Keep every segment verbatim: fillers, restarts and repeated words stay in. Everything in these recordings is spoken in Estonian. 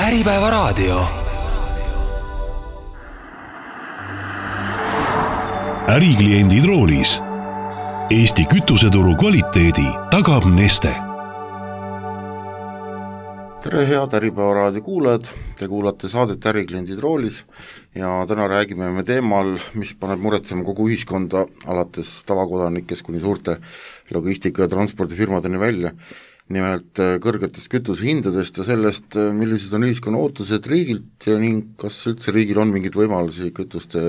Äripäevaraadio. Ärikliendid roolis. Eesti kütuseturu kvaliteedi tagab Neste. Tere head Äripäevaraadio kuulajad, te kuulate saadet Ärikliendid roolis ja täna räägime me teemal, mis paneb muretsema kogu ühiskonda alates tavakodanikest kuni suurte logistika- ja transpordifirmadeni välja. Nimelt kõrgetest kütusehindadest ja sellest, millised on ühiskonna ootused riigilt ja ning kas üldse riigil on mingid võimalusi kütuste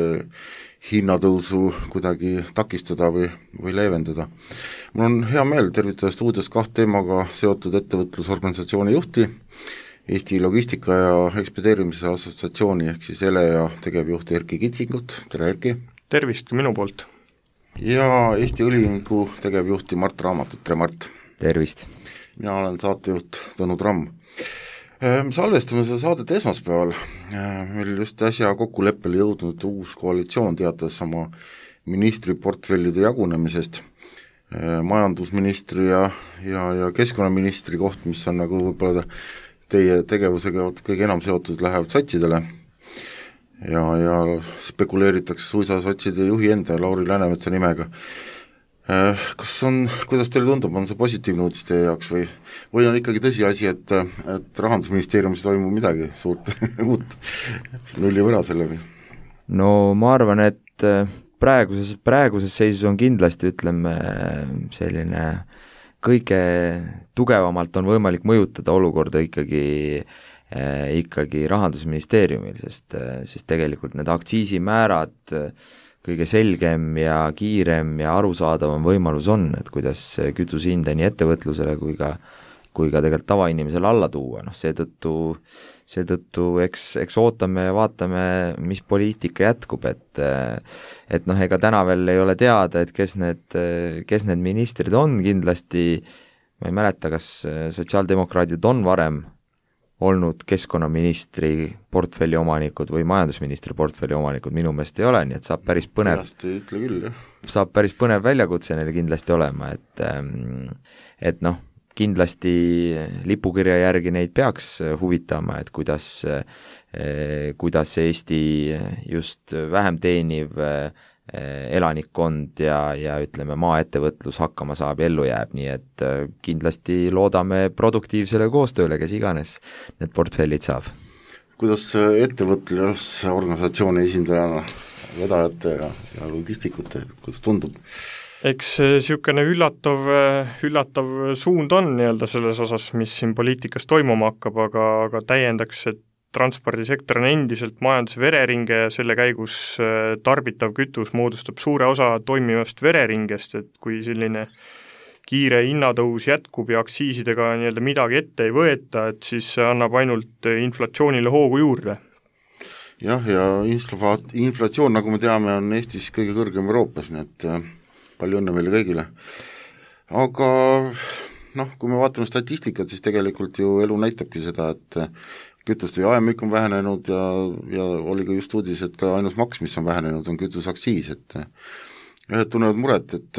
hinnatõusu kuidagi takistada või, või leevendada. Mul on hea meel tervitada stuudios kaht teemaga seotud ettevõtlusorganisatsiooni juhti, Eesti Logistika ja Ekspedeerimise Assotsiatsiooni ehk siis E L E A tegevjuht Erki Kitsingut, tere Erki! Tervist minu poolt! Ja Eesti Õliühingu tegevjuhti Mart Raamatut, tere Mart! Tervist! Mina olen saatejuht Tõnu Tramm. Me salvestame seda saadet esmaspäeval, meil just äsja kokkuleppele jõudnud uus koalitsioon teatas oma ministriportfellide jagunemisest, majandusministri ja, ja, ja keskkonnaministri koht, mis on nagu võib-olla teie tegevusega kõige enam seotud, lähevad sotsidele ja, ja spekuleeritakse suisa sotside juhi enda Lauri Läänemetsa nimega. Kas on, kuidas teile tundub, on see positiivne uudis teie jaoks või, või on ikkagi tõsiasi, et, et Rahandusministeeriumis toimub midagi suurt uut nulli võra sellega? No ma arvan, et praeguses, praeguses seisus on kindlasti, ütleme, selline kõige tugevamalt on võimalik mõjutada olukorda ikkagi, ikkagi Rahandusministeeriumil, sest, sest tegelikult need aktsiisimäärad kõige selgem ja kiirem ja arusaadavam võimalus on, et kuidas kütusehinda nii ettevõtlusele kui ka, kui ka tegelikult tavainimesele alla tuua, noh seetõttu, seetõttu eks, eks ootame ja vaatame, mis poliitika jätkub, et et noh, ega täna veel ei ole teada, et kes need, kes need ministrid on, kindlasti ma ei mäleta, kas sotsiaaldemokraadid on varem olnud keskkonnaministri portfelli omanikud või majandusministri portfelli omanikud, minu meelest ei ole, nii et saab päris põnev, küll, saab päris põnev väljakutse neile kindlasti olema, et et noh, kindlasti lipukirja järgi neid peaks huvitama, et kuidas, kuidas Eesti just vähem teeniv elanikkond ja, ja ütleme, maaettevõtlus hakkama saab ja ellu jääb, nii et kindlasti loodame produktiivsele koostööle, kes iganes need portfellid saab. Kuidas ettevõtlusorganisatsiooni esindajana, vedajate ja, ja logistikute, kuidas tundub? Eks niisugune üllatav, üllatav suund on nii-öelda selles osas, mis siin poliitikas toimuma hakkab, aga, aga täiendaks, et transpordisektor on endiselt majanduse vereringe ja selle käigus tarbitav kütus moodustab suure osa toimivast vereringest, et kui selline kiire hinnatõus jätkub ja aktsiisidega nii-öelda midagi ette ei võeta, et siis see annab ainult inflatsioonile hoogu juurde. Jah, ja inflatsioon, nagu me teame, on Eestis kõige kõrgem Euroopas, nii et palju õnne meile kõigile. Aga noh, kui me vaatame statistikat, siis tegelikult ju elu näitabki seda, et kütuste jaemüük on vähenenud ja, ja oli ka just uudis, et ka ainus maks, mis on vähenenud, on kütusaktsiis, et ühed tunnevad muret, et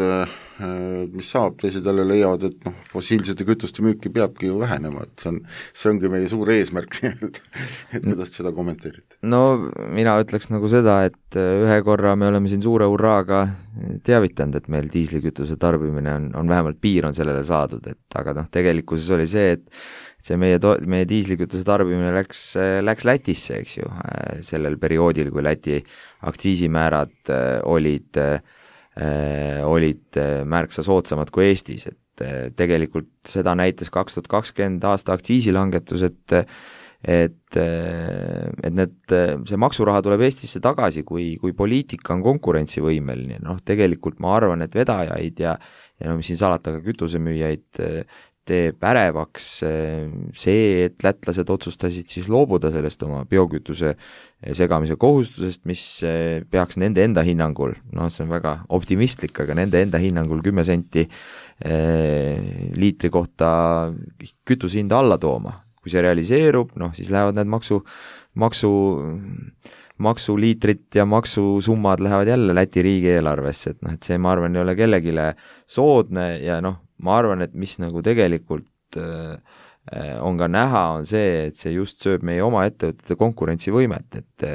mis saab, teised jälle leiavad, et noh, fossiilsete kütuste müüki peabki ju vähenema, et see on, see ongi meie suur eesmärk, et, et kuidas seda kommenteerite? No mina ütleks nagu seda, et ühe korra me oleme siin suure hurraaga teavitanud, et meil diislikütuse tarbimine on, on vähemalt piir on sellele saadud, et aga noh, tegelikkuses oli see, et see meie, to- meie diislikütuse tarbimine läks, läks Lätisse, eks ju, sellel perioodil, kui Läti aktsiisimäärad olid, olid märksa soodsamad kui Eestis, et tegelikult seda näitas kaks tuhat kakskümmend aasta aktsiisilangetus, et et, et need, see maksuraha tuleb Eestisse tagasi, kui, kui poliitika on konkurentsivõimeline, noh tegelikult ma arvan, et vedajaid ja, ja no mis siin salata, ka kütusemüüjaid teeb ärevaks see, et lätlased otsustasid siis loobuda sellest oma biokütuse segamise kohustusest, mis peaks nende enda hinnangul, noh see on väga optimistlik, aga nende enda hinnangul kümme senti liitri kohta kütusehinda alla tooma. Kui see realiseerub, noh siis lähevad need maksu, maksu, maksuliitrid ja maksusummad lähevad jälle Läti riigieelarvesse, et noh, et see ma arvan ei ole kellegile soodne ja noh, ma arvan, et mis nagu tegelikult äh, on ka näha, on see, et see just sööb meie oma ettevõtete konkurentsivõimet, et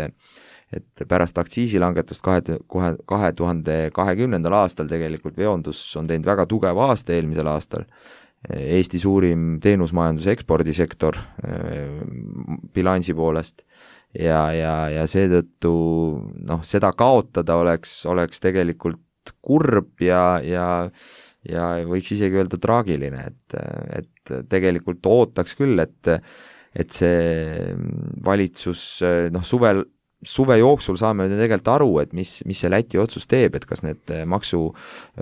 et pärast aktsiisilangetust kahe, kohe, kahe tuhande kahekümnendal aastal tegelikult veondus on teinud väga tugeva aasta eelmisel aastal. Eesti suurim teenusmajanduse ekspordisektor bilansi poolest ja, ja, ja seetõttu noh, seda kaotada oleks, oleks tegelikult kurb ja, ja, ja võiks isegi öelda traagiline, et, et tegelikult ootaks küll, et, et see valitsus noh, suvel suve jooksul saame tegelikult aru, et mis, mis see Läti otsus teeb, et kas need maksu,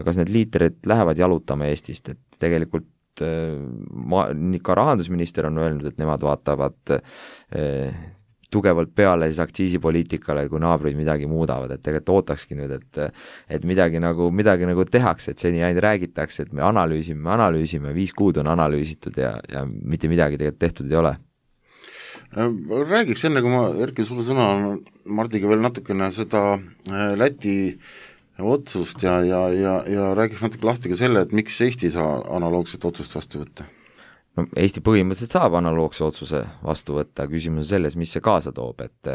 kas need liitrid lähevad jalutama Eestist, et tegelikult ma, ka rahandusminister on öelnud, et nemad vaatavad eh, tugevalt peale siis aktsiisipoliitikale, kui naabrid midagi muudavad, et tegelikult ootakski nüüd, et et midagi nagu, midagi nagu tehakse, et seni ainult räägitakse, et me analüüsime, me analüüsime, viis kuud on analüüsitud ja, ja mitte midagi tegelikult tehtud ei ole. Räägiks enne, kui ma Erki sulle sõna Mardiga veel natukene seda Läti otsust ja, ja, ja, ja räägiks natuke lahti ka selle, et miks Eesti ei saa analoogset otsust vastu võtta? No, Eesti põhimõtteliselt saab analoogse otsuse vastu võtta, küsimus on selles, mis see kaasa toob, et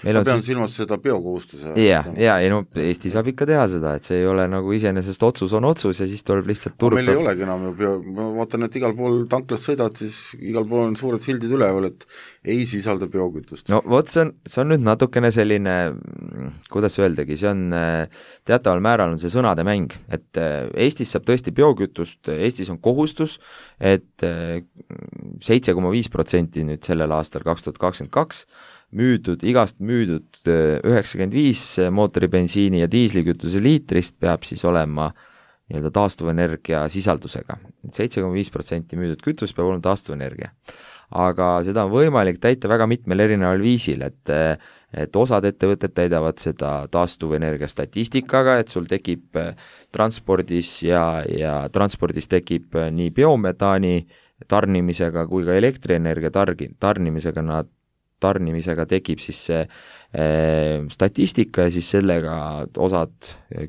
meil ma on pean siis... silmas seda biokohustuse. Ja, ja, ja no, Eesti saab ikka teha seda, et see ei ole nagu iseenesest otsus on otsus ja siis tuleb lihtsalt turg. Meil ei olegi enam ju bio, ma vaatan, et igal pool tanklas sõidad, siis igal pool on suured sildid üleval, et ei sisalda biokütust. No vot, see on, see on nüüd natukene selline, kuidas öeldagi, see on teataval määral on see sõnade mäng, et Eestis saab tõesti biokütust, Eestis on kohustus, et seitse koma viis protsenti nüüd sellel aastal kaks tuhat kakskümmend kaks müüdud, igast müüdud üheksakümmend viis mootoribensiini ja diislikütuse liitrist peab siis olema nii-öelda taastuvenergia sisaldusega. seitse koma viis protsenti müüdud kütus peab olema taastuvenergia. Aga seda on võimalik täita väga mitmel erineval viisil, et et osad ettevõtted täidavad seda taastuvenergia statistikaga, et sul tekib transpordis ja, ja transpordis tekib nii biometaani tarnimisega kui ka elektrienergia targi, tarnimisega nad tarnimisega tekib siis see e, statistika ja siis sellega osad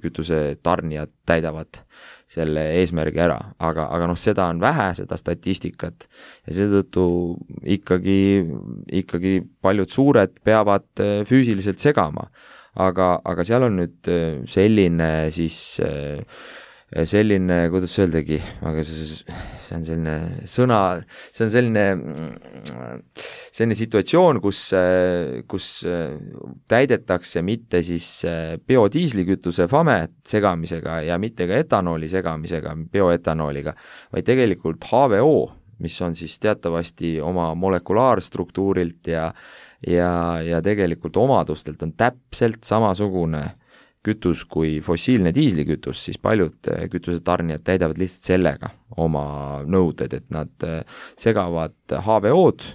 kütuse tarnijad täidavad selle eesmärgi ära, aga, aga noh, seda on vähe, seda statistikat ja seetõttu ikkagi, ikkagi paljud suured peavad füüsiliselt segama, aga, aga seal on nüüd selline siis selline, kuidas öeldagi, aga see, see on selline sõna, see on selline selline situatsioon, kus, kus täidetakse mitte siis biodiislikütuse fame segamisega ja mitte ka etanooli segamisega, bioetanooliga, vaid tegelikult H V O, mis on siis teatavasti oma molekulaarstruktuurilt ja, ja, ja tegelikult omadustelt on täpselt samasugune kütus kui fossiilne diislikütus, siis paljud kütusetarnijad täidavad lihtsalt sellega oma nõuded, et nad segavad H V O-d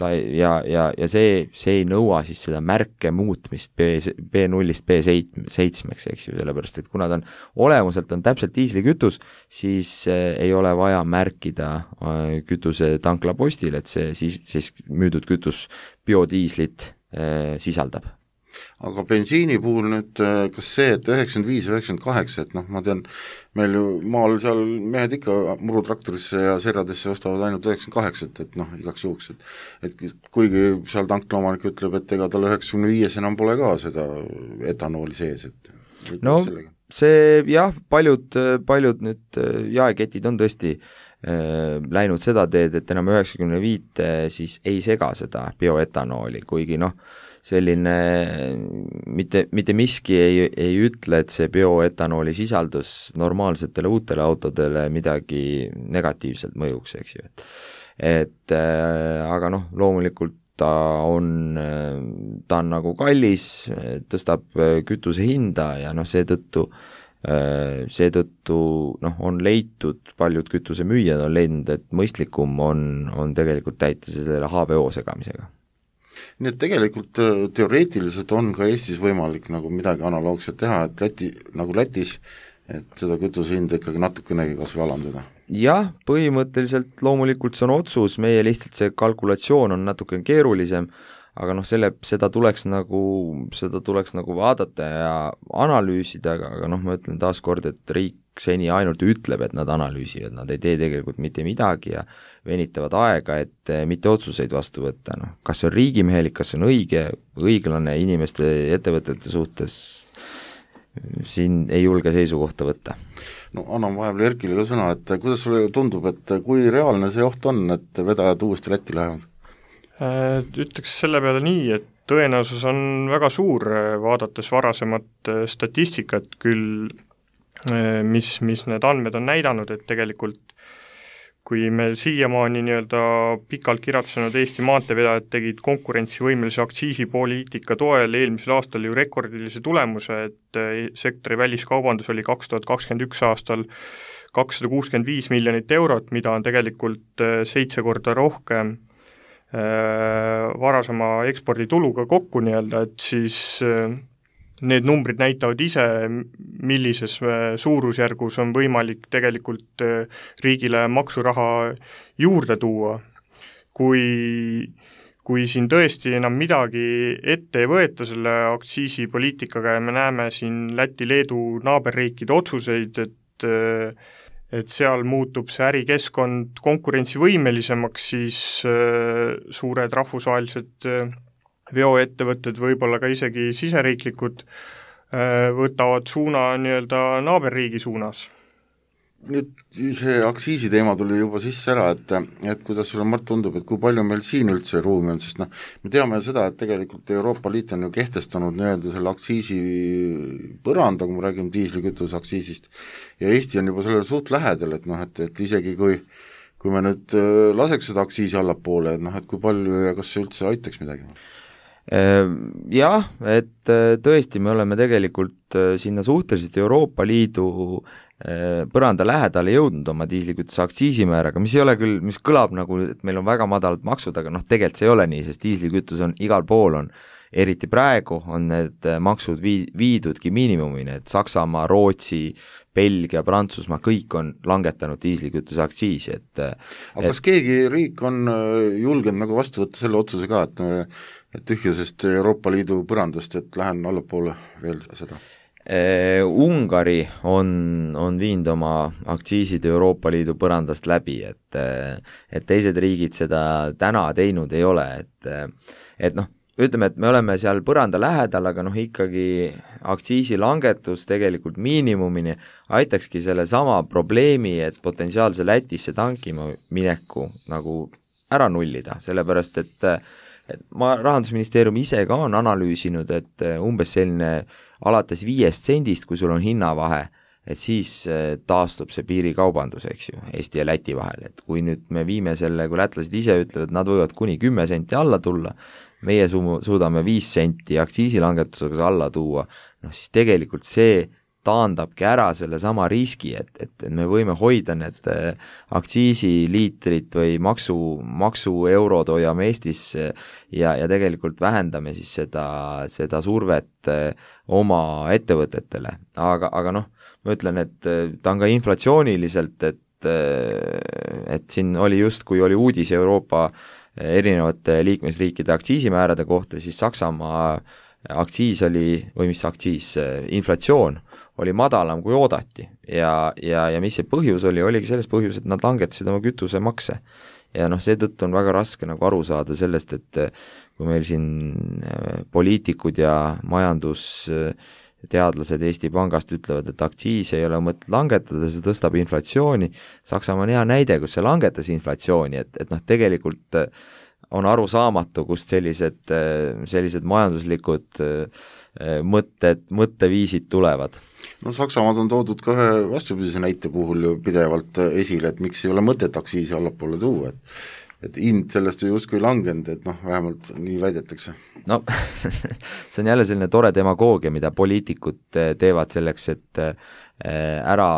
ta ja, ja, ja see, see ei nõua siis seda märke muutmist B, B nullist B seitsmeks, eks ju, sellepärast, et kuna ta on olemuselt on täpselt diislikütus, siis ei ole vaja märkida kütuse tanklapostil, et see siis, siis müüdud kütus biodiislit eh, sisaldab. Aga bensiini puhul nüüd, kas see, et üheksakümmend viis, üheksakümmend kaheksa, et noh, ma tean, meil ju maal seal mehed ikka murutraktorisse ja serjadesse ostavad ainult üheksakümmend kaheksa, et noh, igaks juhuks, et et kuigi seal tanklaomanik ütleb, et ega tal üheksakümne viies enam pole ka seda etanooli sees, et no sellega? See jah, paljud, paljud nüüd jaeketid on tõesti äh, läinud seda teed, et enam üheksakümne viite siis ei sega seda bioetanooli, kuigi noh, selline mitte, mitte miski ei, ei ütle, et see bioetanooli sisaldus normaalsetele uutele autodele midagi negatiivselt mõjuks, eks ju. Et äh, aga noh, loomulikult ta on, ta on nagu kallis, tõstab kütuse hinda ja noh, seetõttu äh, seetõttu noh, on leitud, paljud kütusemüüjad on leidnud, et mõistlikum on, on tegelikult täita selle H V O segamisega. Nii et tegelikult teoreetiliselt on ka Eestis võimalik nagu midagi analoogset teha, et Läti, nagu Lätis, et seda kütuse hinda ikkagi natukenegi kas või alandada. Jah, põhimõtteliselt loomulikult see on otsus, meie lihtsalt see kalkulatsioon on natuke keerulisem, aga noh, selle, seda tuleks nagu, seda tuleks nagu vaadata ja analüüsida, aga noh, ma ütlen taas kord, et riik seni ainult ütleb, et nad analüüsivad, nad ei tee tegelikult mitte midagi ja venitavad aega, et mitte otsuseid vastu võtta, noh, kas see on riigimehelik, kas see on õige, õiglane inimeste ja ettevõtete suhtes, siin ei julge seisukohta võtta. No annan vahepeal Erkile ka sõna, et kuidas sulle tundub, et kui reaalne see oht on, et vedajad uuesti Lätti lähevad? Ütleks selle peale nii, et tõenäosus on väga suur, vaadates varasemat statistikat küll, mis, mis need andmed on näidanud, et tegelikult kui meil siiamaani nii-öelda pikalt kiratsenud Eesti maanteevedajad tegid konkurentsivõimelise aktsiisipoliitika toel eelmisel aastal ju rekordilise tulemuse, et sektori väliskaubandus oli kaks tuhat kakskümmend üks aastal kakssada kuuskümmend viis miljonit eurot, mida on tegelikult seitse korda rohkem varasema ekspordituluga kokku nii-öelda, et siis need numbrid näitavad ise, millises suurusjärgus on võimalik tegelikult riigile maksuraha juurde tuua. Kui, kui siin tõesti enam midagi ette ei võeta selle aktsiisipoliitikaga ja me näeme siin Läti-Leedu naaberriikide otsuseid, et et seal muutub see ärikeskkond konkurentsivõimelisemaks, siis suured rahvusvahelised veoettevõtted, võib-olla ka isegi siseriiklikud, võtavad suuna nii-öelda naaberriigi suunas. Nüüd see aktsiisi teema tuli juba sisse ära, et, et kuidas sulle, Mart, tundub, et kui palju meil siin üldse ruumi on, sest noh, me teame seda, et tegelikult Euroopa Liit on ju kehtestanud nii-öelda selle aktsiisi põranda, kui me räägime diislikütuse aktsiisist, ja Eesti on juba sellele suht lähedal, et noh, et, et isegi kui kui me nüüd laseks seda aktsiisi allapoole, et noh, et kui palju ja kas see üldse aitaks midagi? Jah, et tõesti, me oleme tegelikult sinna suhteliselt Euroopa Liidu põranda lähedale jõudnud oma diislikütuse aktsiisimääraga, mis ei ole küll, mis kõlab nagu, et meil on väga madalad maksud, aga noh, tegelikult see ei ole nii, sest diislikütus on igal pool, on eriti praegu on need maksud vii, viidudki miinimumini, et Saksamaa, Rootsi, Belgia, Prantsusmaa, kõik on langetanud diislikütuse aktsiisi, et aga et... kas keegi riik on julgenud nagu vastu võtta selle otsuse ka, et et tühjusest Euroopa Liidu põrandast, et lähen allapoole veel seda? Ungari on, on viinud oma aktsiisid Euroopa Liidu põrandast läbi, et, et teised riigid seda täna teinud ei ole, et, et noh, ütleme, et me oleme seal põranda lähedal, aga noh, ikkagi aktsiisilangetus tegelikult miinimumini aitakski selle sama probleemi, et potentsiaalse Lätisse tankima mineku nagu ära nullida, sellepärast et et ma, Rahandusministeerium ise ka on analüüsinud, et umbes selline alates viiest sendist, kui sul on hinnavahe, et siis taastub see piirikaubandus, eks ju, Eesti ja Läti vahel, et kui nüüd me viime selle, kui lätlased ise ütlevad, nad võivad kuni kümme senti alla tulla, meie su- suudame viis senti aktsiisilangetusega alla tuua, noh siis tegelikult see taandabki ära selle sama riski, et, et, et me võime hoida need aktsiisiliitrid või maksu, maksueurod hoiame Eestis ja, ja tegelikult vähendame siis seda, seda survet oma ettevõtetele. Aga, aga noh, ma ütlen, et ta on ka inflatsiooniliselt, et, et siin oli just, kui oli uudis Euroopa erinevate liikmesriikide aktsiisimäärade kohta, siis Saksamaa aktsiis oli, või mis aktsiis, inflatsioon oli madalam kui oodati ja, ja, ja mis see põhjus oli, oligi selles põhjus, et nad langetasid oma kütusemakse. Ja noh, seetõttu on väga raske nagu aru saada sellest, et kui meil siin poliitikud ja majandusteadlased Eesti Pangast ütlevad, et aktsiis ei ole mõtet langetada, see tõstab inflatsiooni, Saksamaa on hea näide, kus see langetas inflatsiooni, et, et noh, tegelikult on aru saamatu, kust sellised, sellised majanduslikud mõtted, mõtteviisid tulevad. No Saksamaad on toodud ka ühe vastupidise näite puhul ju pidevalt esile, et miks ei ole mõtet aktsiisi allapoole tuua, et, et hind sellest ju justkui langenud, et noh, vähemalt nii väidetakse. No see on jälle selline tore demagoogia, mida poliitikud teevad selleks, et ära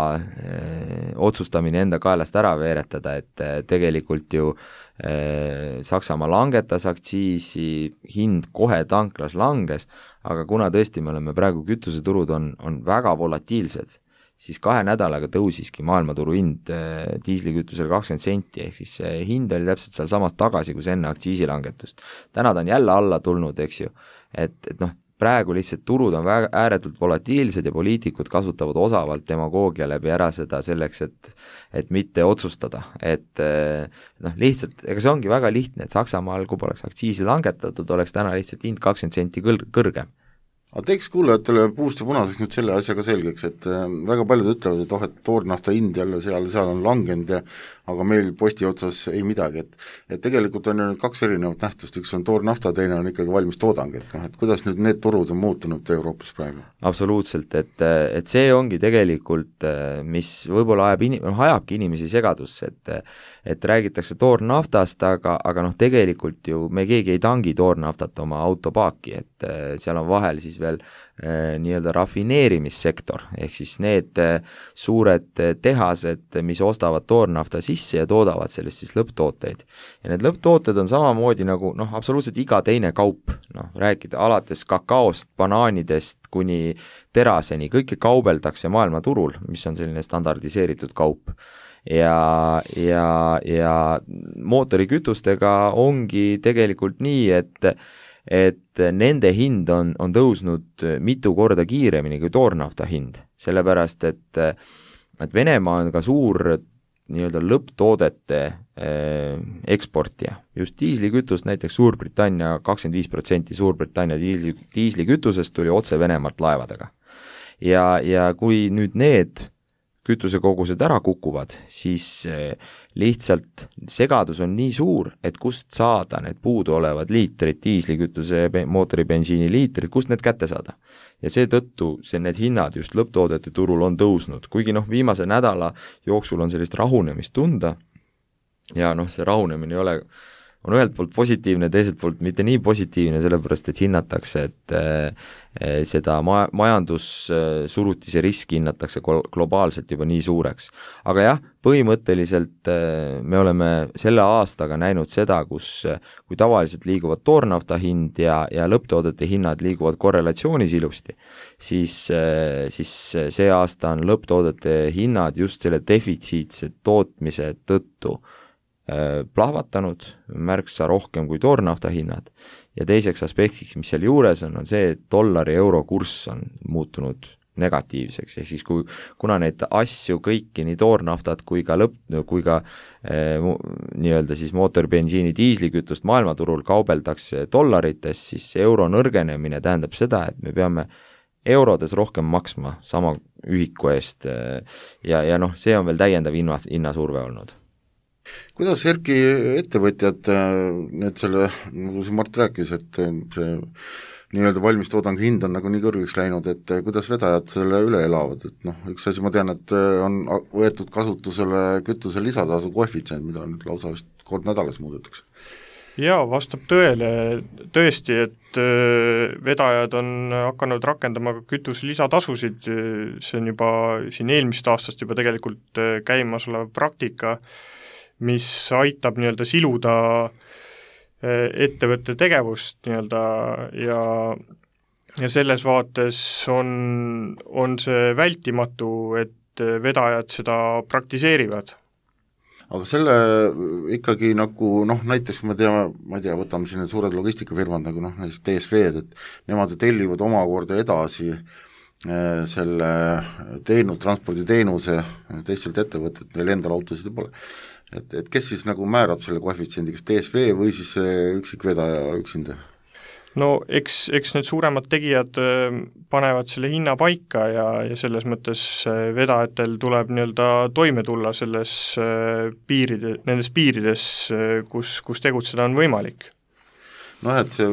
otsustamine enda kaelast ära veeretada, et tegelikult ju Saksamaa langetas aktsiisi, hind kohe tanklas langes, aga kuna tõesti me oleme praegu, kütuseturud on, on väga volatiilsed, siis kahe nädalaga tõusiski maailmaturu hind diislikütusel kakskümmend senti, ehk siis see hind oli täpselt seal samas tagasi, kui enne aktsiisilangetust. Täna ta on jälle alla tulnud, eks ju, et, et noh, praegu lihtsalt turud on väga ääretult volatiilsed ja poliitikud kasutavad osavalt demagoogia läbi ära seda selleks, et et mitte otsustada, et noh, lihtsalt, ega see ongi väga lihtne, et Saksamaal, kui poleks aktsiisi langetatud, oleks täna lihtsalt hind kakskümmend senti kõr- kõrgem. aga teeks kuulajatele puust ja punaseks nüüd selle asjaga selgeks, et väga paljud ütlevad, et oh, et toornafta hind jälle seal, seal on langenud ja aga meil posti otsas ei midagi, et et tegelikult on ju nüüd kaks erinevat nähtust, üks on toornafta, teine on ikkagi valmis toodang, et noh, et kuidas nüüd need turud on muutunud Euroopas praegu? Absoluutselt, et, et see ongi tegelikult, mis võib-olla ajab in-, ajabki inimesi segadusse, et et räägitakse toornaftast, aga, aga noh, tegelikult ju me keegi ei tangi toornaftat oma autopaaki, et seal on vahel siis veel eh, nii-öelda rafineerimissektor, ehk siis need eh, suured tehased, mis ostavad toornafta sisse ja toodavad sellest siis lõpptooteid. Ja need lõpptooted on samamoodi nagu noh, absoluutselt iga teine kaup, noh, rääkida alates kakaost, banaanidest kuni teraseni, kõike kaubeldakse maailmaturul, mis on selline standardiseeritud kaup. Ja, ja, ja mootorikütustega ongi tegelikult nii, et et nende hind on, on tõusnud mitu korda kiiremini kui toornafta hind, sellepärast et et Venemaa on ka suur nii-öelda lõpptoodete eh, eksportija. Just diislikütust näiteks Suurbritannia, kakskümmend viis protsenti Suurbritannia diisli, diislikütusest tuli otse Venemaalt laevadega. Ja, ja kui nüüd need kütusekogused ära kukuvad, siis lihtsalt segadus on nii suur, et kust saada need puudu olevad liitrid, diislikütuse mootoribensiini liitrid, kust need kätte saada. Ja seetõttu see need hinnad just lõpptoodete turul on tõusnud, kuigi noh, viimase nädala jooksul on sellist rahunemist tunda ja noh, see rahunemine ei ole on ühelt poolt positiivne, teiselt poolt mitte nii positiivne, sellepärast et hinnatakse, et eh, seda ma-, majandussurutise riski hinnatakse globaalselt juba nii suureks. Aga jah, põhimõtteliselt eh, me oleme selle aastaga näinud seda, kus kui tavaliselt liiguvad toornafta hind ja, ja lõpptoodete hinnad liiguvad korrelatsioonis ilusti, siis, eh, siis see aasta on lõpptoodete hinnad just selle defitsiitse tootmise tõttu plahvatanud märksa rohkem kui toornafta hinnad ja teiseks aspektiks, mis seal juures on, on see, et dollari euro kurss on muutunud negatiivseks, ehk siis kui, kuna neid asju kõiki, nii toornaftat kui ka lõpp, kui ka eh, nii-öelda siis mootoribensiini diislikütust maailmaturul kaubeldakse dollarites, siis euro nõrgenemine tähendab seda, et me peame eurodes rohkem maksma sama ühiku eest ja, ja noh, see on veel täiendav hinna, hinnasurve olnud. Kuidas Erki ettevõtjad need selle, nagu siin Mart rääkis, et see nii-öelda valmistoodang hind on nagu nii kõrgeks läinud, et kuidas vedajad selle üle elavad, et noh, üks asi ma tean, et on võetud kasutusele kütuse lisatasu koefitsient, mida nüüd lausa vist kord nädalas muudetakse. Jaa, vastab tõele tõesti, et vedajad on hakanud rakendama ka kütuse lisatasusid, see on juba siin eelmist aastast juba tegelikult käimas olev praktika, mis aitab nii-öelda siluda ettevõtte tegevust nii-öelda ja, ja selles vaates on, on see vältimatu, et vedajad seda praktiseerivad. Aga selle ikkagi nagu noh, näiteks kui me teame, ma ei tea, võtame siin need suured logistikafirmad nagu noh, näiteks D S V-d, et nemad tellivad omakorda edasi selle teenu, transporditeenuse teistelt ettevõtet, neil endal autosid ei pole. Et, et kes siis nagu määrab selle koefitsiendi, kas D S V või siis üksik vedaja üksinda? No eks, eks need suuremad tegijad panevad selle hinna paika ja, ja selles mõttes vedajatel tuleb nii-öelda toime tulla selles piiride, nendes piirides, kus, kus tegutseda on võimalik. Noh, et see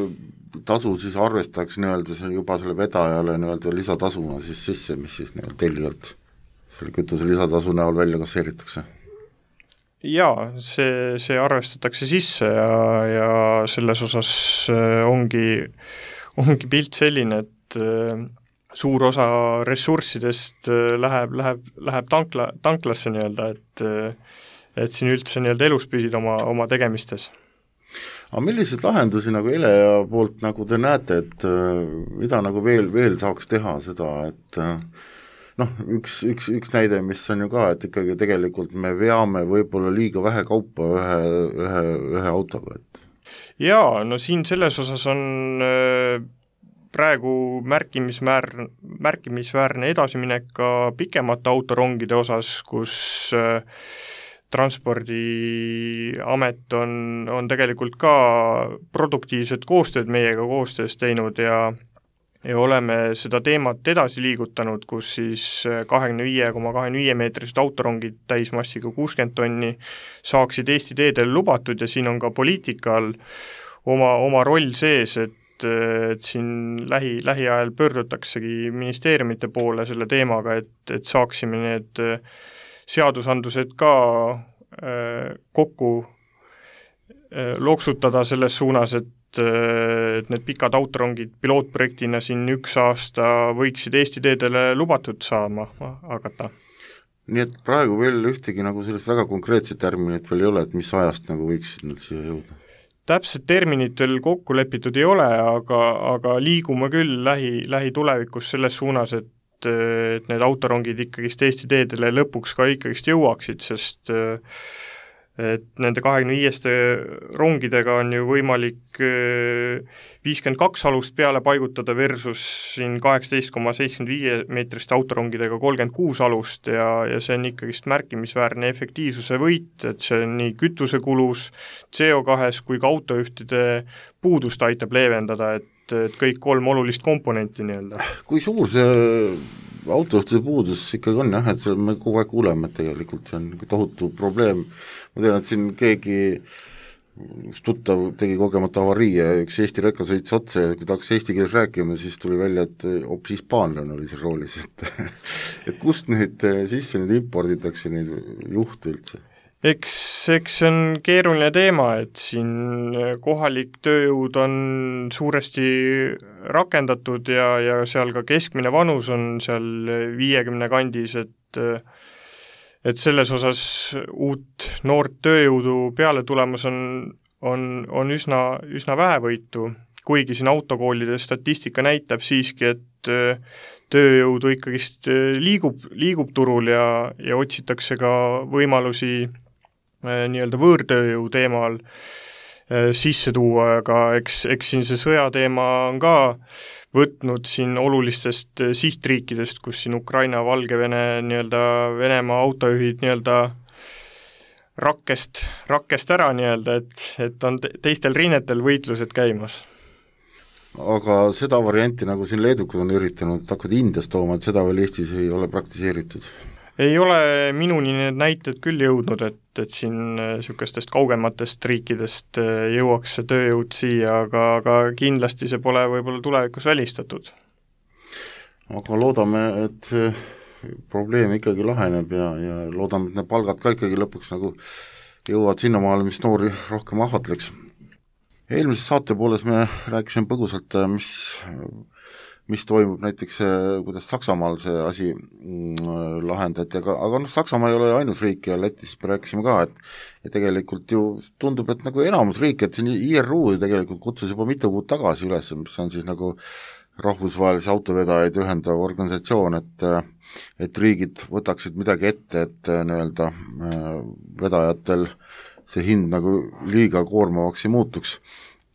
tasu siis arvestaks nii-öelda see juba selle vedajale nii-öelda lisatasuna siis sisse, mis siis nii-öelda tellijalt selle kütuse lisatasu näol välja kasseeritakse. Jaa, see, see arvestatakse sisse ja, ja selles osas ongi, ongi pilt selline, et suur osa ressurssidest läheb, läheb, läheb tankla, tanklasse nii-öelda, et, et siin üldse nii-öelda elus püsida oma, oma tegemistes. Aga milliseid lahendusi nagu Elea poolt nagu te näete, et mida nagu veel, veel saaks teha seda, et noh, üks, üks, üks näide, mis on ju ka, et ikkagi tegelikult me veame võib-olla liiga vähe kaupa ühe, ühe, ühe autoga, et jaa, no siin selles osas on praegu märkimisväärne, märkimisväärne edasiminek ka pikemate autorongide osas, kus Transpordiamet on, on tegelikult ka produktiivset koostööd meiega koostöös teinud ja ja oleme seda teemat edasi liigutanud, kus siis kahekümne viie koma kahekümne viie meetrised autorongid täismassiga kuuskümmend tonni saaksid Eesti teedel lubatud ja siin on ka poliitikal oma, oma roll sees, et, et siin lähi, lähiajal pöördutaksegi ministeeriumite poole selle teemaga, et, et saaksime need seadusandlused ka äh, kokku äh, loksutada selles suunas, et et need pikad autorongid pilootprojektina siin üks aasta võiksid Eesti teedele lubatud saama hakata. Nii et praegu veel ühtegi nagu sellest väga konkreetset terminit veel ei ole, et mis ajast nagu võiksid nad siia jõuda? Täpselt terminit veel kokku lepitud ei ole, aga, aga liigume küll lähi, lähitulevikus selles suunas, et, et need autorongid ikkagist Eesti teedele lõpuks ka ikkagist jõuaksid, sest et nende kahekümne viieste rongidega on ju võimalik viiskümmend kaks alust peale paigutada versus siin kaheksateist koma seitsekümmend viie meetriste autorongidega kolmkümmend kuus alust ja, ja see on ikkagist märkimisväärne efektiivsuse võit, et see on nii kütusekulus, C O kahes kui ka autojuhtide puudust aitab leevendada, et, et kõik kolm olulist komponenti nii-öelda. Kui suur see autojuhtide puudus ikkagi on jah, et see me kogu aeg kuuleme, et tegelikult see on tohutu probleem. Ma tean, et siin keegi tuttav tegi kogemata avarii ja üks Eesti rekka sõits otse ja kui ta hakkas eesti keeles rääkima, siis tuli välja, et hoopis hispaanlane oli seal roolis, et, et kust neid sisse nüüd imporditakse neid juhte üldse? Eks, eks see on keeruline teema, et siin kohalik tööjõud on suuresti rakendatud ja, ja seal ka keskmine vanus on seal viiekümne kandis, et, et selles osas uut noort tööjõudu peale tulemas on, on, on üsna, üsna vähevõitu, kuigi siin autokoolide statistika näitab siiski, et tööjõudu ikkagist liigub, liigub turul ja, ja otsitakse ka võimalusi nii-öelda võõrtööjõu teemal sisse tuua, aga eks, eks siin see sõjateema on ka võtnud siin olulistest sihtriikidest, kus siin Ukraina, Valgevene, nii-öelda Venemaa autojuhid nii-öelda rakkest, rakkest ära nii-öelda, et, et on teistel rinnetel võitlused käimas. Aga seda varianti, nagu siin leedukad on üritanud, et hakkad Indiast tooma, et seda veel Eestis ei ole praktiseeritud? Ei ole minuni need näited küll jõudnud, et, et siin niisugustest kaugematest riikidest jõuaks see tööjõud siia, aga, aga kindlasti see pole võib-olla tulevikus välistatud. Aga loodame, et see probleem ikkagi laheneb ja, ja loodame, et need palgad ka ikkagi lõpuks nagu jõuavad sinnamaale, mis noori rohkem ahvatleks. Eelmises saate pooles me rääkisime põgusalt, mis mis toimub näiteks, kuidas Saksamaal see asi mm, lahendati, aga, aga noh, Saksamaa ei ole ainus riik ja Lätis rääkisime ka, et ja tegelikult ju tundub, et nagu enamus riik, et siin I R U tegelikult kutsus juba mitu kuud tagasi üles, mis on siis nagu rahvusvahelisi autovedajaid ühendav organisatsioon, et et riigid võtaksid midagi ette, et nii-öelda vedajatel see hind nagu liiga koormavaks ei muutuks,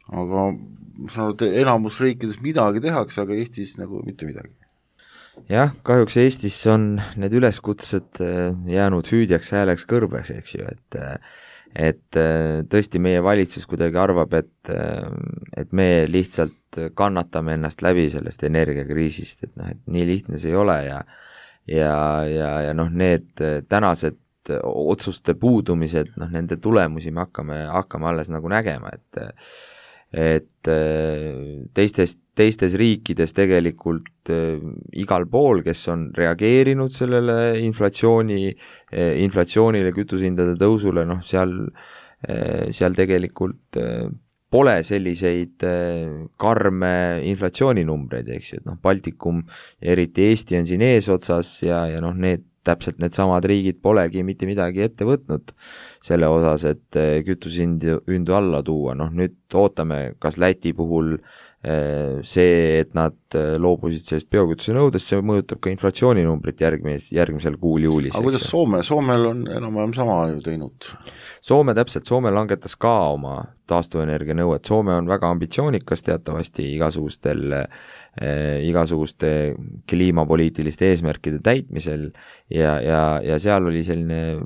aga ma saan aru, et enamus riikides midagi tehakse, aga Eestis nagu mitte midagi. Jah, kahjuks Eestis on need üleskutsed jäänud hüüdjaks hääleks kõrbeks, eks ju, et et tõesti meie valitsus kuidagi arvab, et, et me lihtsalt kannatame ennast läbi sellest energiakriisist, et noh, et nii lihtne see ei ole ja ja, ja, ja noh, need tänased otsuste puudumised, noh, nende tulemusi me hakkame, hakkame alles nagu nägema, et et teistes, teistes riikides tegelikult igal pool, kes on reageerinud sellele inflatsiooni, inflatsioonile, kütusehindade tõusule, noh, seal, seal tegelikult pole selliseid karme inflatsiooninumbreid, eks ju, et noh, Baltikum ja eriti Eesti on siin eesotsas ja, ja noh, need täpselt need samad riigid polegi mitte midagi ette võtnud selle osas, et kütusehindu hindu alla tuua, noh nüüd ootame, kas Läti puhul see, et nad loobusid sellest biokütuse nõudest, see mõjutab ka inflatsiooninumbrit järgmis, järgmisel kuul juulis. aga kuidas Soome, Soomel on enam-vähem sama ju teinud? Soome täpselt, Soome langetas ka oma taastuvenergia nõuet, Soome on väga ambitsioonikas teatavasti igasugustel eh, igasuguste kliimapoliitiliste eesmärkide täitmisel ja, ja, ja seal oli selline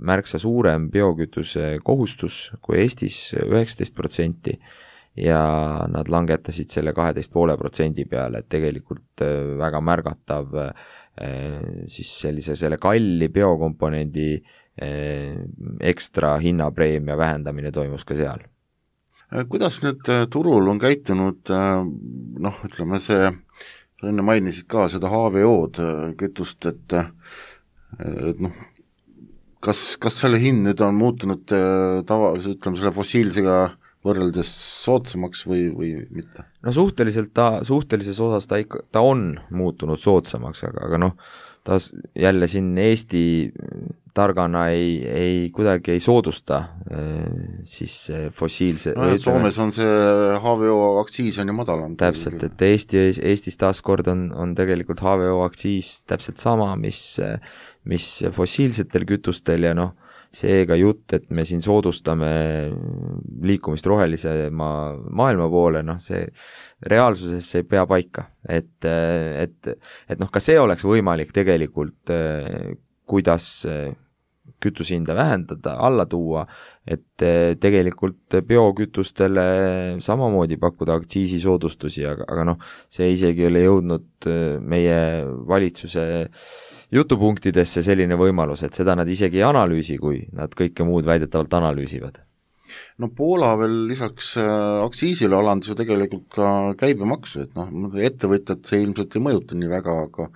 märksa suurem biokütuse kohustus kui Eestis üheksateist protsenti ja nad langetasid selle kaheteist poole protsendi peale, et tegelikult väga märgatav siis sellise selle kalli biokomponendi ekstra hinnapreemia vähendamine toimus ka seal. Kuidas nüüd turul on käitunud, noh, ütleme see, enne mainisid ka seda H V O-d kütust, et, et noh, kas, kas selle hind nüüd on muutunud tava, ütleme selle fossiilsega võrreldes soodsamaks või, või mitte? No suhteliselt ta, suhtelises osas ta, ikka, ta on muutunud soodsamaks, aga, aga noh, ta jälle siin Eesti targana ei, ei kuidagi ei soodusta siis fossiilse no, või, Soomes on see H V O aktsiis on ju madalam. Täpselt, et Eesti, Eestis taaskord on, on tegelikult H V O aktsiis täpselt sama, mis, mis fossiilsetel kütustel ja noh, seega jutt, et me siin soodustame liikumist rohelise ma, maailma poole, noh see reaalsuses see ei pea paika, et, et, et noh, ka see oleks võimalik tegelikult, kuidas kütusehinda vähendada, alla tuua, et tegelikult biokütustele samamoodi pakkuda aktsiisisoodustusi, aga, aga noh, see isegi ei ole jõudnud meie valitsuse jutupunktidesse selline võimalus, et seda nad isegi ei analüüsi, kui nad kõike muud väidetavalt analüüsivad. No Poola veel lisaks aktsiisile alandus ju tegelikult ka käibemaksu, et noh, ettevõtjad see ilmselt ei mõjuta nii väga, aga,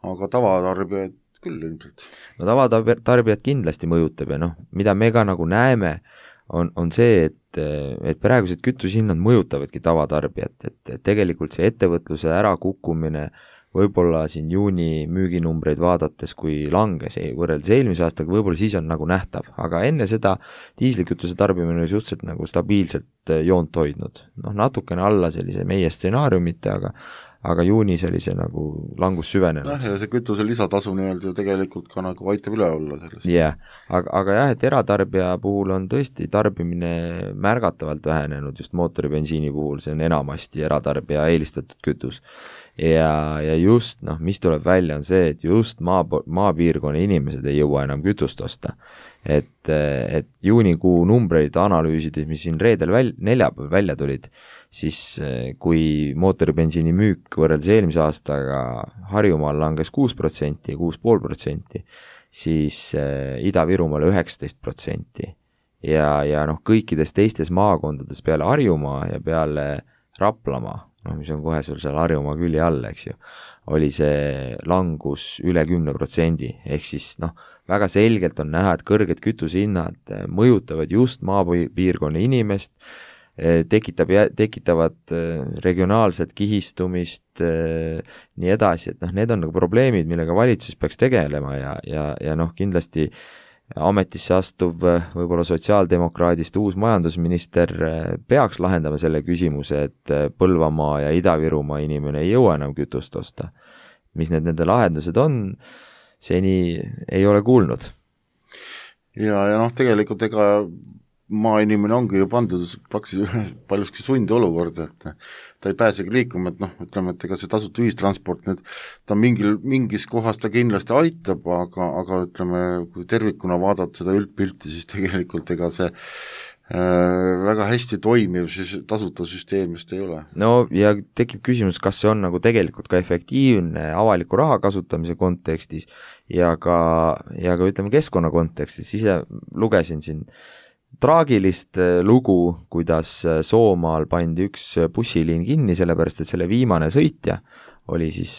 aga tavatarbijaid küll ilmselt. No tavatarbijad kindlasti mõjutab ja noh, mida me ka nagu näeme, on, on see, et, et praegused kütusehinnad mõjutavadki tavatarbijat, et, et tegelikult see ettevõtluse ärakukkumine võib-olla siin juuni müüginumbreid vaadates, kui langes võrreldes eelmise aastaga, võib-olla siis on nagu nähtav, aga enne seda diislikütuse tarbimine oli suhteliselt nagu stabiilselt joont hoidnud, noh natukene alla sellise meie stsenaariumite, aga aga juunis oli see nagu langus süvenenud. Jah, ja see kütuse lisatasu nii-öelda tegelikult ka nagu aitab üle olla sellest. Jah, aga, aga jah, et eratarbija puhul on tõesti tarbimine märgatavalt vähenenud just mootoribensiini puhul, see on enamasti eratarbija eelistatud kütus. Ja, ja just, noh, mis tuleb välja on see, et just maa, maapiirkonna inimesed ei jõua enam kütust osta. Et, et juunikuu numbreid analüüsides, mis siin reedel väl, neljapäev välja tulid, siis kui mootoribensiini müük võrreldes eelmise aastaga Harjumaal langes kuus protsenti ja kuus pool protsenti, siis Ida-Virumaal üheksateist protsenti ja, ja noh, kõikides teistes maakondades peale Harjumaa ja peale Raplamaa, noh, mis on kohe sul seal Harjumaa külje all, eks ju, oli see langus üle kümne protsendi, ehk siis noh, väga selgelt on näha, et kõrged kütusehinnad mõjutavad just maapiirkonna inimest, tekitab, tekitavad regionaalset kihistumist, nii edasi, et noh, need on nagu probleemid, millega valitsus peaks tegelema ja, ja, ja noh, kindlasti ametisse astuv võib-olla sotsiaaldemokraadist uus majandusminister peaks lahendama selle küsimuse, et Põlvamaa ja Ida-Virumaa inimene ei jõua enam kütust osta. Mis need nende lahendused on, seni ei ole kuulnud. Ja, ja noh, tegelikult ega maainimene ongi ju pandud praktiliselt paljuski sundi olukorda, et ta ei pääsegi liikuma, et noh, ütleme, et ega see tasuta ühistransport nüüd, ta mingil, mingis kohas ta kindlasti aitab, aga, aga ütleme, kui tervikuna vaadata seda üldpilti, siis tegelikult ega see äh, väga hästi toimiv siis tasuta süsteem just ei ole. No ja tekib küsimus, kas see on nagu tegelikult ka efektiivne avaliku raha kasutamise kontekstis ja ka, ja ka ütleme keskkonna kontekstis, ise lugesin siin traagilist lugu, kuidas Soomaal pandi üks bussiliin kinni, sellepärast et selle viimane sõitja oli siis,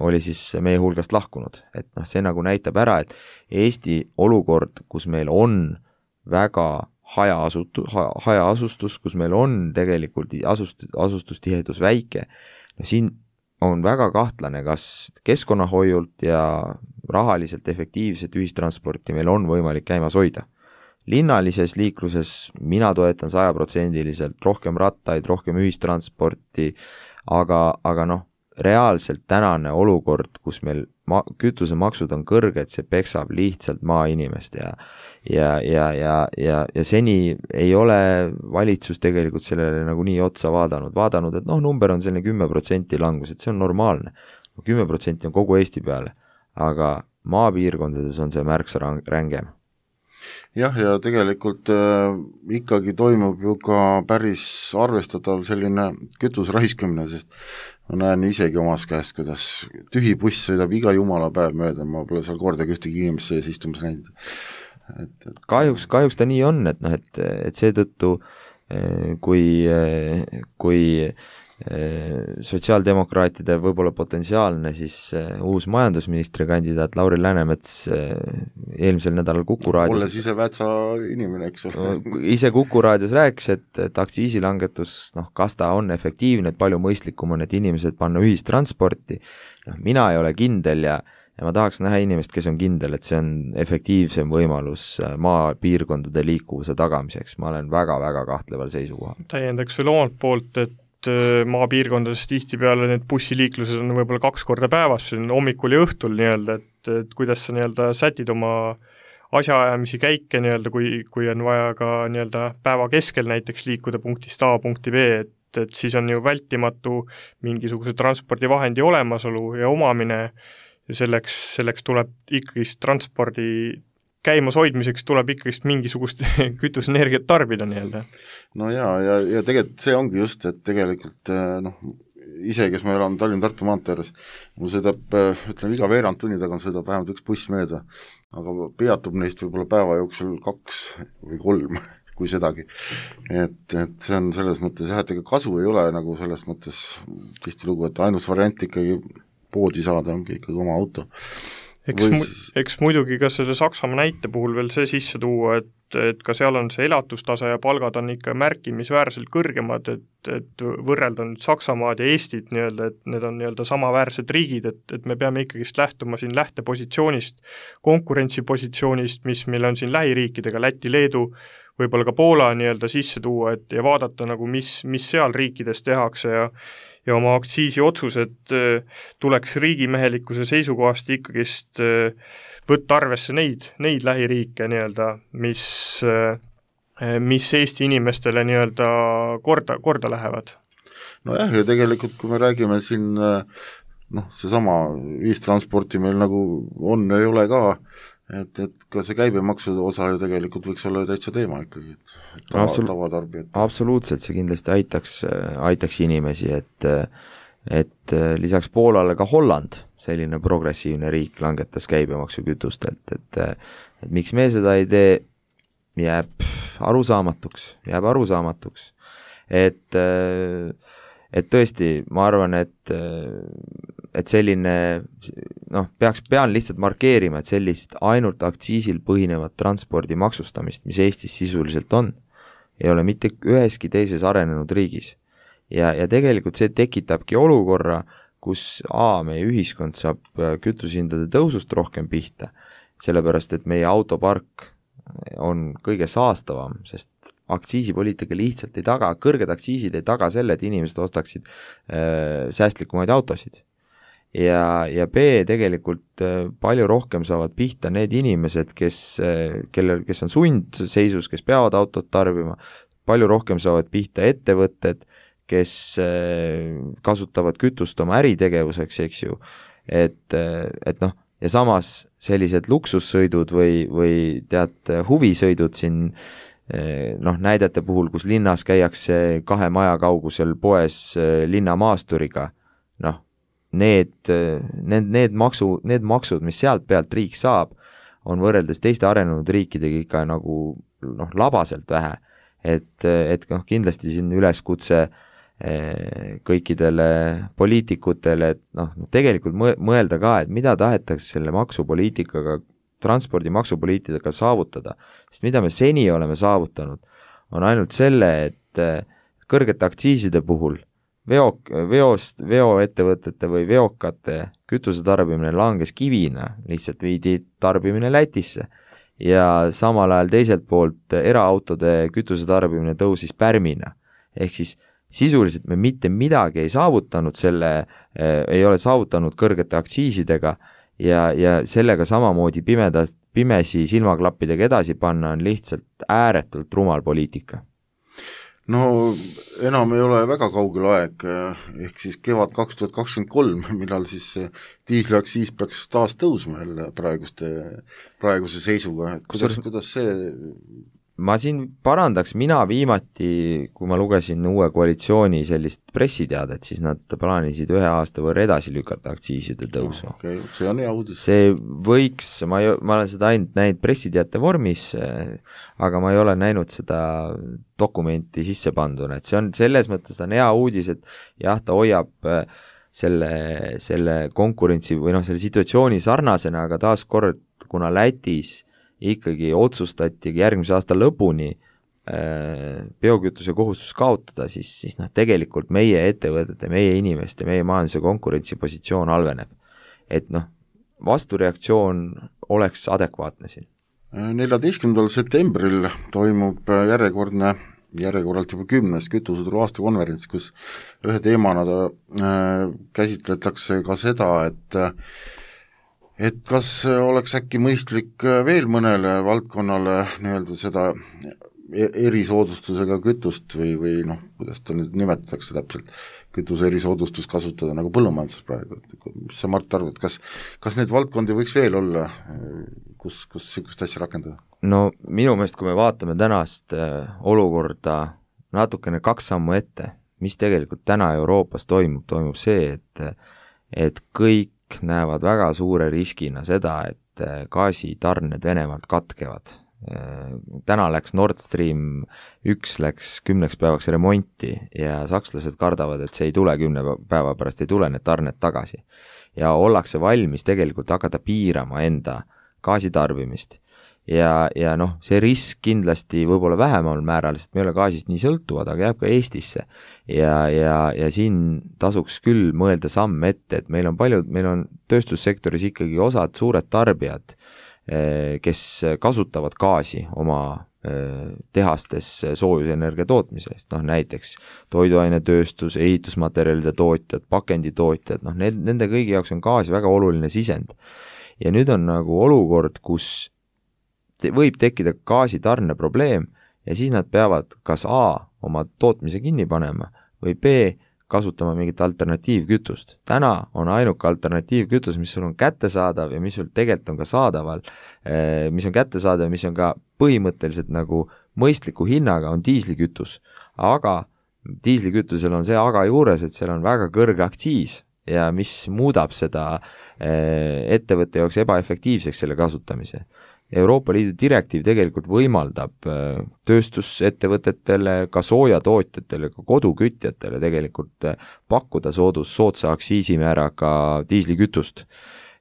oli siis meie hulgast lahkunud. Et noh, see nagu näitab ära, et Eesti olukord, kus meil on väga hajaasutu, hajaasustus, kus meil on tegelikult asust, asustustihedus väike, no siin on väga kahtlane, kas keskkonnahoiult ja rahaliselt efektiivset ühistransporti meil on võimalik käimas hoida. linnalises liikluses mina toetan sajaprotsendiliselt rohkem rattaid, rohkem ühistransporti, aga, aga noh, reaalselt tänane olukord, kus meil ma-, kütusemaksud on kõrged, see peksab lihtsalt maainimest ja ja, ja, ja, ja, ja seni ei ole valitsus tegelikult sellele nagu nii otsa vaadanud, vaadanud, et noh, number on selline kümme protsenti langus, et see on normaalne. kümme protsenti on kogu Eesti peale, aga maapiirkondades on see märksa rängem. Jah, ja tegelikult äh, ikkagi toimub ju ka päris arvestatav selline kütuse raiskamine, sest ma näen isegi omas käest, kuidas tühi buss sõidab iga jumala päev mööda, ma pole seal kordagi ühtegi inimest sees istumas näinud. Et, et... Kahjuks, kahjuks ta nii on, et noh, et, et seetõttu kui, kui sotsiaaldemokraatide võib-olla potentsiaalne siis uus majandusministri kandidaat Lauri Läänemets eelmisel nädalal Kuku raadios olles ise Vätsa inimene, eks ole. ise Kuku raadios rääkis, et, et aktsiisilangetus, noh, kas ta on efektiivne, et palju mõistlikum on, et inimesed panna ühistransporti, noh, mina ei ole kindel ja ja ma tahaks näha inimest, kes on kindel, et see on efektiivsem võimalus maapiirkondade liikuvuse tagamiseks. Ma olen väga-väga kahtleval seisukohal. Täiendaks veel omalt poolt, et maapiirkondades tihtipeale need bussiliiklused on võib-olla kaks korda päevas, hommikul ja õhtul nii-öelda, et, et kuidas sa nii-öelda sätid oma asjaajamisi käike nii-öelda, kui, kui on vaja ka nii-öelda päeva keskel näiteks liikuda punktist A punkti B, et, et siis on ju vältimatu mingisuguse transpordivahendi olemasolu ja omamine ja selleks, selleks tuleb ikkagi transpordi käimas hoidmiseks tuleb ikkagi mingisugust kütusenergiat tarbida nii-öelda. No jaa, ja, ja tegelikult see ongi just, et tegelikult noh, ise, kes ma elan Tallinn-Tartu maanteeres, mul sõidab, ütleme, iga veerand tunni tagant sõidab vähemalt üks buss mööda, aga peatub neist võib-olla päeva jooksul kaks või kolm, kui sedagi. Et, et see on selles mõttes jah, et ega kasu ei ole nagu selles mõttes tihtilugu, et ainus variant ikkagi poodi saada ongi ikkagi oma auto. Eks, mu, eks muidugi ka selle Saksamaa näite puhul veel see sisse tuua, et, et ka seal on see elatustase ja palgad on ikka märkimisväärselt kõrgemad, et, et võrrelda nüüd Saksamaad ja Eestit nii-öelda, et need on nii-öelda samaväärsed riigid, et, et me peame ikkagist lähtuma siin lähtepositsioonist, konkurentsipositsioonist, mis meil on siin lähiriikidega, Läti, Leedu, võib-olla ka Poola nii-öelda sisse tuua, et ja vaadata nagu, mis, mis seal riikides tehakse ja ja oma aktsiisi otsused tuleks riigimehelikkuse seisukohast ikkagist võtta arvesse neid, neid lähiriike nii-öelda, mis, mis Eesti inimestele nii-öelda korda, korda lähevad. No jah, ja tegelikult kui me räägime siin noh, seesama ühistransporti meil nagu on ja ei ole ka, et, et ka see käibemaksu osa ju tegelikult võiks olla täitsa teema ikkagi, et tava, Absolu- tavatarbijad. Absoluutselt, see kindlasti aitaks, aitaks inimesi, et, et lisaks Poolale ka Holland, selline progressiivne riik, langetas käibemaksu kütustelt, et, et miks me seda ei tee, jääb arusaamatuks, jääb arusaamatuks, et et tõesti, ma arvan, et et selline, noh, peaks, pean lihtsalt markeerima, et sellist ainult aktsiisil põhinevat transpordi maksustamist, mis Eestis sisuliselt on, ei ole mitte üheski teises arenenud riigis. Ja, ja tegelikult see tekitabki olukorra, kus A, meie ühiskond saab kütusehindade tõusust rohkem pihta, sellepärast, et meie autopark on kõige saastavam, sest aktsiisipoliitika lihtsalt ei taga, kõrged aktsiisid ei taga selle, et inimesed ostaksid äh, säästlikumaid autosid. Ja, ja B, tegelikult äh, palju rohkem saavad pihta need inimesed, kes, äh, kellel, kes on sundseisus, kes peavad autot tarbima, palju rohkem saavad pihta ettevõtted, kes äh, kasutavad kütust oma äritegevuseks, eks ju, et, äh, et noh, ja samas sellised luksussõidud või, või tead, huvisõidud siin noh, näidete puhul, kus linnas käiakse kahe maja kaugusel poes linnamaasturiga, noh, need, need, need, maksu, need maksud, mis sealt pealt riik saab, on võrreldes teiste arenenud riikidega ikka nagu noh, labaselt vähe. Et, et noh, kindlasti siin üleskutse kõikidele poliitikutele, et noh, tegelikult mõelda ka, et mida tahetakse selle maksupoliitikaga, transpordimaksupoliitikaga saavutada, sest mida me seni oleme saavutanud, on ainult selle, et kõrgete aktsiiside puhul veo, veost, veoettevõtete või veokate kütusetarbimine langes kivina, lihtsalt viidi tarbimine Lätisse ja samal ajal teiselt poolt eraautode kütusetarbimine tõusis pärmina. Ehk siis sisuliselt me mitte midagi ei saavutanud selle, ei ole saavutanud kõrgete aktsiisidega ja, ja sellega samamoodi pimeda, pimesi silmaklappidega edasi panna on lihtsalt ääretult rumal poliitika. No enam ei ole väga kaugel aeg, ehk siis kevad kaks tuhat kakskümmend kolm, millal siis diisliaktsiis peaks taas tõusma jälle praeguste, praeguse seisuga, et kuidas, kuidas see ma siin parandaks, mina viimati, kui ma lugesin uue koalitsiooni sellist pressiteadet, siis nad plaanisid ühe aasta võrra edasi lükata aktsiiside tõusu. No, okay, see on hea uudis. See võiks, ma, ei, ma olen seda ainult näinud pressiteate vormis, aga ma ei ole näinud seda dokumenti sisse panduna, et see on selles mõttes ta on hea uudis, et jah, ta hoiab selle, selle konkurentsi või noh, selle situatsiooni sarnasena, aga taas kord, kuna Lätis ikkagi otsustati järgmise aasta lõpuni äh, biokütuse kohustus kaotada, siis, siis noh, tegelikult meie ettevõtete, meie inimeste, meie majanduse konkurentsipositsioon halveneb. Et noh, vastureaktsioon oleks adekvaatne siin. neljateistkümnendal septembril toimub järjekordne, järjekorralt juba kümnes kütuseturu aastakonverents, kus ühe teemana ta äh, käsitletakse ka seda, et et kas oleks äkki mõistlik veel mõnele valdkonnale nii-öelda seda erisoodustusega kütust või, või noh, kuidas ta nüüd nimetatakse täpselt, kütuse erisoodustus kasutada nagu põllumajanduses praegu, et mis sa, Mart, arvad, kas, kas need valdkondi võiks veel olla, kus, kus niisugust asja rakendada? No minu meelest, kui me vaatame tänast olukorda natukene kaks sammu ette, mis tegelikult täna Euroopas toimub, toimub see, et, et kõik näevad väga suure riskina seda, et gaasitarned Venemaalt katkevad. Täna läks Nord Stream üks läks kümneks päevaks remonti ja sakslased kardavad, et see ei tule kümne päeva pärast, ei tule need tarned tagasi. Ja ollakse valmis tegelikult hakata piirama enda gaasitarbimist. Ja, ja noh, see risk kindlasti võib-olla vähemal määral, sest me ei ole gaasist nii sõltuvad, aga jääb ka Eestisse. Ja, ja, ja siin tasuks küll mõelda samm ette, et meil on paljud, meil on tööstussektoris ikkagi osad suured tarbijad, kes kasutavad gaasi oma tehastes soojusenergia tootmisest, noh näiteks toiduainetööstus, ehitusmaterjalide tootjad, pakenditootjad, noh need, nende kõigi jaoks on gaas väga oluline sisend. Ja nüüd on nagu olukord, kus võib tekkida gaasitarne probleem ja siis nad peavad kas A oma tootmise kinni panema või B kasutama mingit alternatiivkütust. Täna on ainuke alternatiivkütus, mis sul on kättesaadav ja mis sul tegelikult on ka saadaval, mis on kättesaadav, mis on ka põhimõtteliselt nagu mõistliku hinnaga, on diislikütus. Aga diislikütusel on see aga juures, et seal on väga kõrge aktsiis ja mis muudab seda ettevõtte jaoks ebaefektiivseks selle kasutamise. Euroopa Liidu direktiiv tegelikult võimaldab tööstusettevõtetele, ka soojatootjatele, ka kodukütjatele tegelikult pakkuda soodus soodsa aktsiisimääraga diislikütust.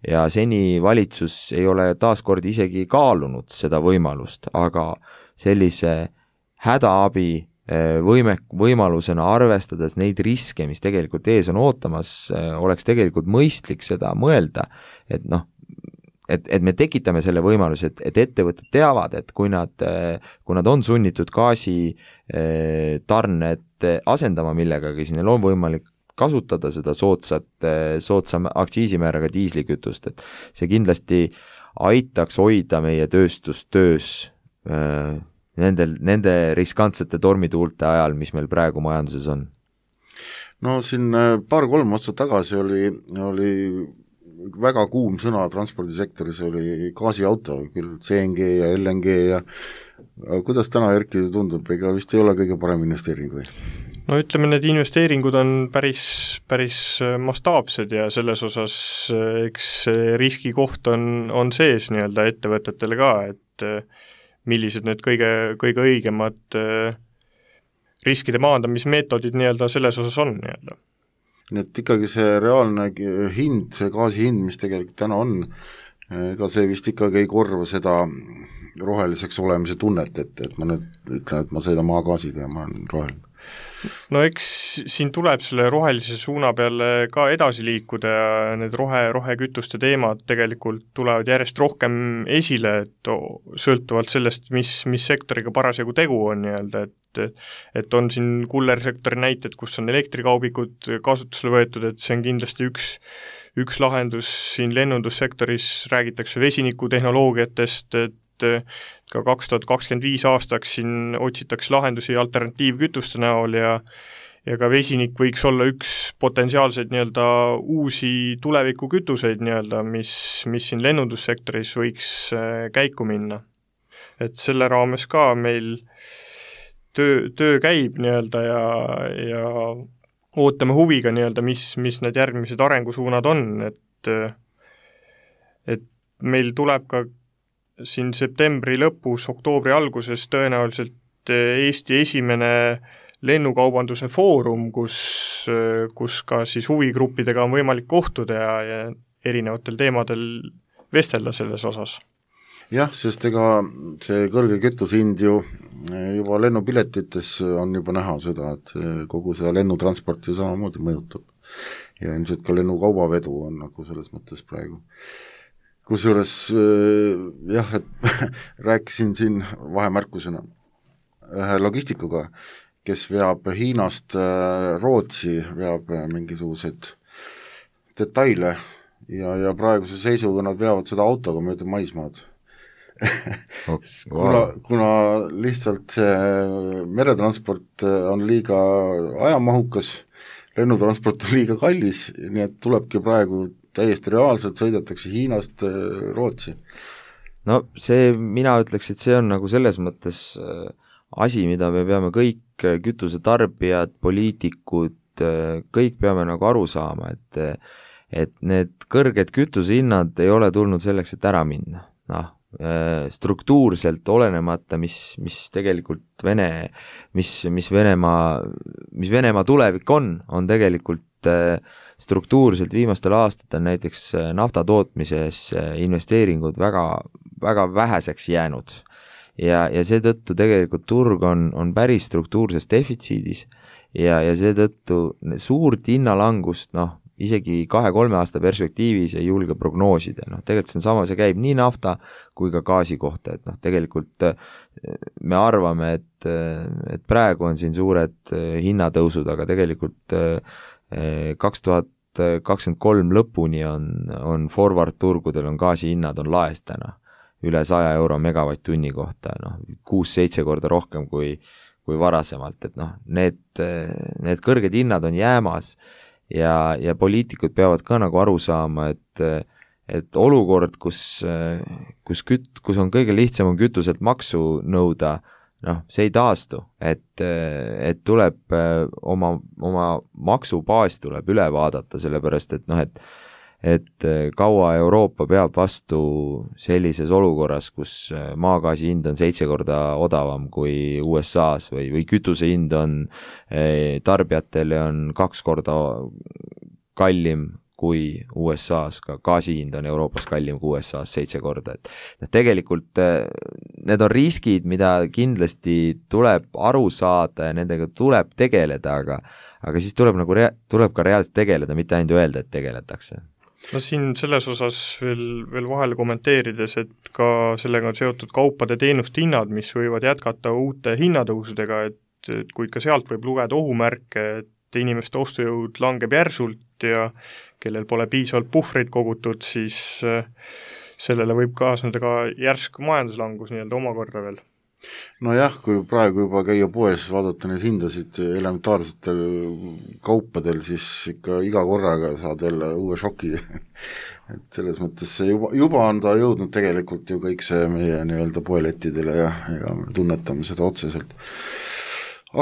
Ja seni valitsus ei ole taaskord isegi kaalunud seda võimalust, aga sellise hädaabi võime, võimalusena arvestades neid riske, mis tegelikult ees on ootamas, oleks tegelikult mõistlik seda mõelda, et noh, Et, et me tekitame selle võimaluse, et, et ettevõtted teavad, et kui nad, kui nad on sunnitud gaasi tarned asendama millegagi, siis neil on võimalik kasutada seda soodsat, soodsam aktsiisimääraga diislikütust, et see kindlasti aitaks hoida meie tööstust töös nendel, nende riskantsete tormituulte ajal, mis meil praegu majanduses on. No siin paar-kolm aastat tagasi oli, oli väga kuum sõna transpordisektoris, oli gaasiauto, küll C N G ja L N G ja kuidas täna, Erki, tundub, ega vist ei ole kõige parem investeering või? No ütleme, need investeeringud on päris, päris mastaapsed ja selles osas eks riskikoht on, on sees nii-öelda ettevõtetele ka, et millised need kõige, kõige õigemad riskide maandamismeetodid nii-öelda selles osas on nii-öelda. Nii et ikkagi see reaalne hind, see gaasi hind, mis tegelikult täna on, ega see vist ikkagi ei korva seda roheliseks olemise tunnet, et, et ma nüüd ütlen, et ma sõidan maagaasiga ja ma olen roheline. no eks siin tuleb selle rohelise suuna peale ka edasi liikuda ja need rohe, rohekütuste teemad tegelikult tulevad järjest rohkem esile, et sõltuvalt sellest, mis, mis sektoriga parasjagu tegu on nii-öelda, et et on siin kullersektori näited, kus on elektrikaubikud kasutusele võetud, et see on kindlasti üks, üks lahendus, siin lennundussektoris räägitakse vesinikutehnoloogiatest, et ka kaks tuhat kakskümmend viis aastaks siin otsitakse lahendusi alternatiivkütuste näol ja ja ka vesinik võiks olla üks potentsiaalseid nii-öelda uusi tulevikukütuseid nii-öelda, mis, mis siin lennundussektoris võiks käiku minna. Et selle raames ka meil töö, töö käib nii-öelda ja, ja ootame huviga nii-öelda, mis, mis need järgmised arengusuunad on, et et meil tuleb ka siin septembri lõpus, oktoobri alguses tõenäoliselt Eesti esimene lennukaubanduse foorum, kus, kus ka siis huvigruppidega on võimalik kohtuda ja, ja erinevatel teemadel vestelda selles osas. Jah, sest ega see kõrge kütusehind ju juba lennupiletites on juba näha seda, et kogu seda lennutransporti ju samamoodi mõjutab. Ja ilmselt ka lennukaubavedu on nagu selles mõttes praegu. Kusjuures jah, et rääkisin siin vahemärkusena ühe logistikuga, kes veab Hiinast Rootsi, veab mingisuguseid detaile ja, ja praeguse seisuga nad veavad seda autoga mööda maismaad. kuna, kuna lihtsalt see meretransport on liiga ajamahukas, lennutransport on liiga kallis, nii et tulebki praegu täiesti reaalselt sõidetakse Hiinast Rootsi. No see, mina ütleks, et see on nagu selles mõttes asi, mida me peame kõik kütusetarbijad, poliitikud, kõik peame nagu aru saama, et, et need kõrged kütusehinnad ei ole tulnud selleks, et ära minna. Noh, struktuurselt olenemata, mis, mis tegelikult Vene, mis, mis Venemaa, mis Venemaa tulevik on, on tegelikult struktuurselt viimastel aastatel näiteks nafta tootmises investeeringud väga, väga väheseks jäänud ja, ja seetõttu tegelikult turg on, on päris struktuurses defitsiidis ja, ja seetõttu suurt hinnalangust, noh, isegi kahe-kolme aasta perspektiivis ei julge prognoosida, noh, tegelikult see on sama, see käib nii nafta kui ka gaasi kohta, et noh, tegelikult me arvame, et, et praegu on siin suured hinnatõusud, aga tegelikult kaks tuhat kakskümmend kolm lõpuni on, on forward turgudel on gaasi hinnad on laes täna üle saja euro megavatt-tunni kohta, noh, kuus-seitse korda rohkem kui, kui varasemalt, et noh, need, need kõrged hinnad on jäämas ja, ja poliitikud peavad ka nagu aru saama, et, et olukord, kus, kus, küt, kus on kõige lihtsam on kütuselt maksu nõuda, noh, see ei taastu, et, et tuleb oma, oma maksubaas tuleb üle vaadata, sellepärast et noh, et, et kaua Euroopa peab vastu sellises olukorras, kus maagaasi hind on seitse korda odavam kui U S A-s või, või kütuse hind on tarbijatele on kaks korda kallim kui U S A-s, ka gaasi hind on Euroopas kallim kui U S A-s seitse korda, et noh, tegelikult need on riskid, mida kindlasti tuleb aru saada ja nendega tuleb tegeleda, aga, aga siis tuleb, nagu rea- tuleb ka reaalselt tegeleda, mitte ainult öelda, et tegeletakse. No siin selles osas veel, veel vahele kommenteerides, et ka sellega on seotud kaupade teenuste hinnad, mis võivad jätkata uute hinnatõusudega, et, et kuid ka sealt võib lugeda ohumärke, et inimeste ostujõud langeb järsult ja kellel pole piisavalt puhvreid kogutud, siis sellele võib kaasneda ka järsk majanduslangus nii-öelda omakorda veel. No jah, kui praegu juba käia poes, vaadata neid hindasid elementaarsetel kaupadel, siis ikka iga korraga saad jälle uue šoki. et selles mõttes see juba, juba on ta jõudnud tegelikult ju kõik see meie nii-öelda poelettidele ja, ja tunnetame seda otseselt.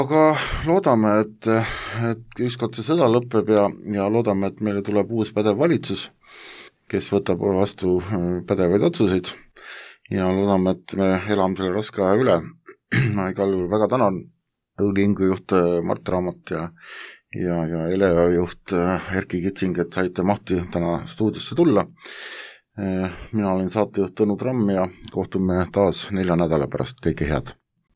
Aga loodame, et, et ükskord see sõda lõpeb ja, ja loodame, et meile tuleb uus pädev valitsus, kes võtab vastu pädevaid otsuseid ja loodame, et me elame selle raske aja üle. Ma igal juhul väga tänan Õliingu juht Mart Raamat ja, ja, ja Eleva juht Erki Kitsing, et saite mahti täna stuudiosse tulla. Mina olen saatejuht Tõnu Tramm ja kohtume taas nelja nädala pärast, kõike head!